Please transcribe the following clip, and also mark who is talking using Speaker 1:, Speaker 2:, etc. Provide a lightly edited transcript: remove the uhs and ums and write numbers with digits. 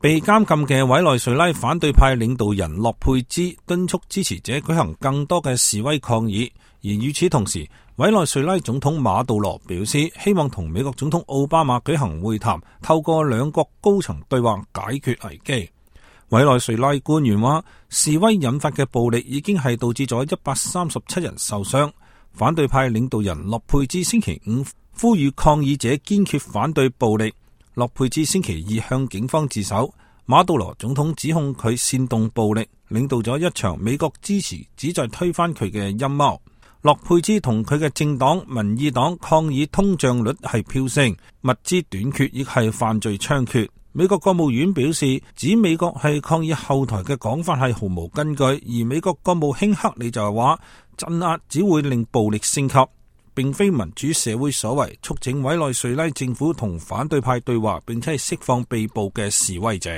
Speaker 1: 被監禁嘅委內瑞拉反對派領導人洛佩茲敦促支持者舉行更多嘅示威抗議，而與此同時，委內瑞拉總統馬杜羅表示希望同美國總統奧巴馬舉行會談，透過兩國高層對話解決危機。委內瑞拉官員話，示威引發嘅暴力已經係導致咗137人受傷。反對派領導人洛佩茲星期五呼籲抗議者堅決反對暴力。洛佩茲星期二向警方自首，馬杜羅總統指控佢煽動暴力，領導咗一場美國支持旨在推翻佢嘅陰謀。洛佩茲同佢嘅政黨民意黨抗議通脹率係飆升，物資短缺亦係犯罪猖獗。美國國務院表示，指美國係抗議後台嘅講法係毫無根據，而美國國務卿克里就係話，鎮壓只會令暴力升級，並非民主社會所為，促請委內瑞拉政府同反對派對話，並且係釋放被捕嘅示威者。